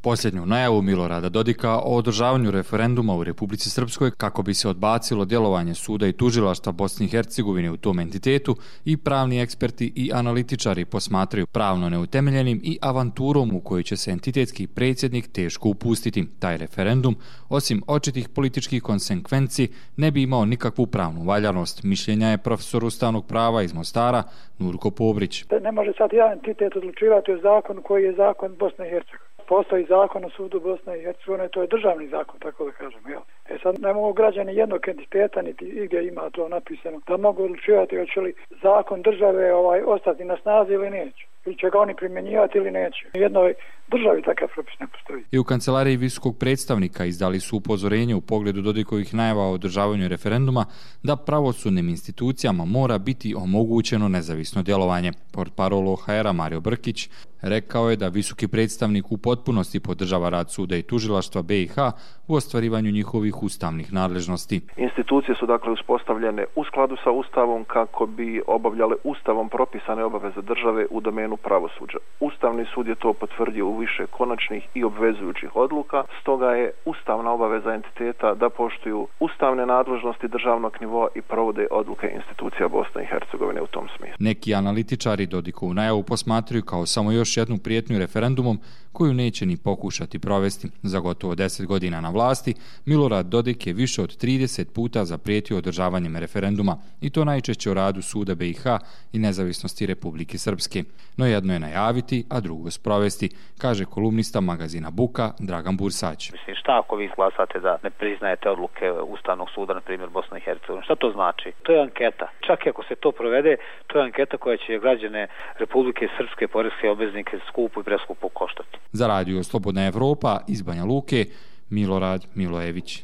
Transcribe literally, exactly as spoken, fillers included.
Posljednju najavu Milorada Dodika o održavanju referenduma u Republici Srpskoj kako bi se odbacilo djelovanje suda i tužilaštva Bosne i Hercegovine u tom entitetu i pravni eksperti i analitičari posmatraju pravno neutemeljenim i avanturom u kojoj će se entitetski predsjednik teško upustiti. Taj referendum, osim očitih političkih konsekvenci, ne bi imao nikakvu pravnu valjanost. Mišljenja je profesor ustavnog prava iz Mostara Nurko Pobrić. Ne može sad jedan entitet odlučivati o zakonu koji je zakon Bosne i Hercegovine. Postoji zakon o sudu Bosne i Hercegovine, to je državni zakon, tako da kažemo. Jel? E sad ne mogu građani jednog entiteta, niti igdje ima to napisano, da mogu odlučivati hoće li zakon države ovaj, ostati na snazi ili neće. Ili će ga oni primjenjivati ili neće. U jednoj državi takav propis ne postoji. I u kancelariji visokog predstavnika izdali su upozorenje u pogledu Dodikovih najava o održavanju referenduma da pravosudnim institucijama mora biti omogućeno nezavisno djelovanje. Portparol O H R-a Mario Brkić rekao je da visoki predstavnik u potpunosti podržava rad suda i tužilaštva B i H u ostvarivanju njihovih ustavnih nadležnosti. Institucije su dakle uspostavljene u skladu sa Ustavom kako bi obavljale Ustavom propisane obaveze države u domenu pravosuđa. Ustavni sud je to potvrdio u više konačnih i obvezujućih odluka, stoga je ustavna obaveza entiteta da poštuju ustavne nadležnosti državnog nivoa i provode odluke institucija Bosne i Hercegovine u tom smislu. Neki analitičari Dodikovu najavu posmatraju kao samo još jednu prijetnju referendumom koju neće ni pokušati provesti. Za gotovo deset godina na vlasti, Milorad Dodik je više od trideset puta zaprijetio održavanjem referenduma i to najčešće o radu suda B i H i nezavisnosti Republike Srpske. No jedno je najaviti, a drugo sprovesti, kaže kolumnista magazina Buka Dragan Bursać. Mislim, šta ako vi izglasate da ne priznajete odluke Ustavnog suda, na primjer Bosne i Hercegovine? Šta to znači? To je anketa. Čak i ako se to provede, to je anketa koja će građane Republike Srpske, poreske obveznike skupo i preskupo koštati. Za radio Slobodna Evropa iz Banja Luke, Milorad Milojević.